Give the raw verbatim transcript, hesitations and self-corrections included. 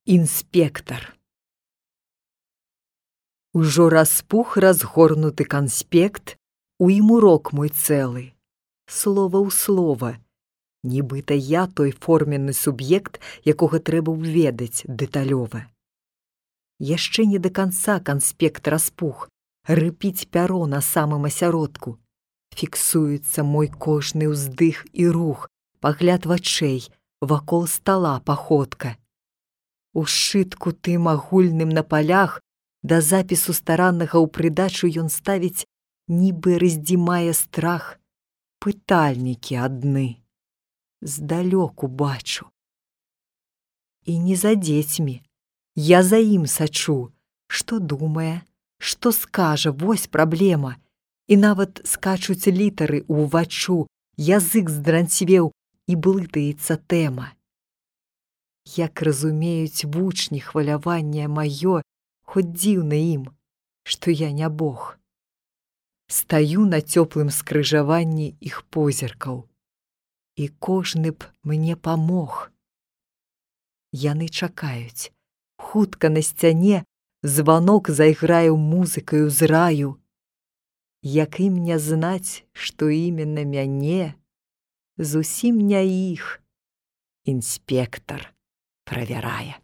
Інспектар. Ужо распух разгорнуты канспект, у ім урок мой цэлы, слова ў слова, нібыта я той форменны суб'ект, якога трэба ўведаць дэталёва. Яшчэ не да канца канспект распух, рыпіць пяро на самым асяродку. Фіксуецца мой кожны ўздых і рух, пагляд вачэй, вакол стала паходка. У сшытку тым агульным на палях да запісу стараннага ў прыдачу ён ставіць, нібы раздзімае страх, пытальнікі адны. Здалёку бачу. І не за дзецьмі, я за ім сачу, што думае, што скажа, вось праблема. І нават скачуць літары ўваччу, язык здранцвеў і блытаецца тэма. Як разумеюць вучні хваляванне маё, хоць дзіўна ім, што я не Бог. Стаю на цёплым скрыжаванні іх позіркаў, і кожны б мне памог. Яны чакаюць, хутка на сцяне званок зайграю музыкаю з раю. Як ім не знаць, што іменно мяне, зусім не іх інспектар правярае.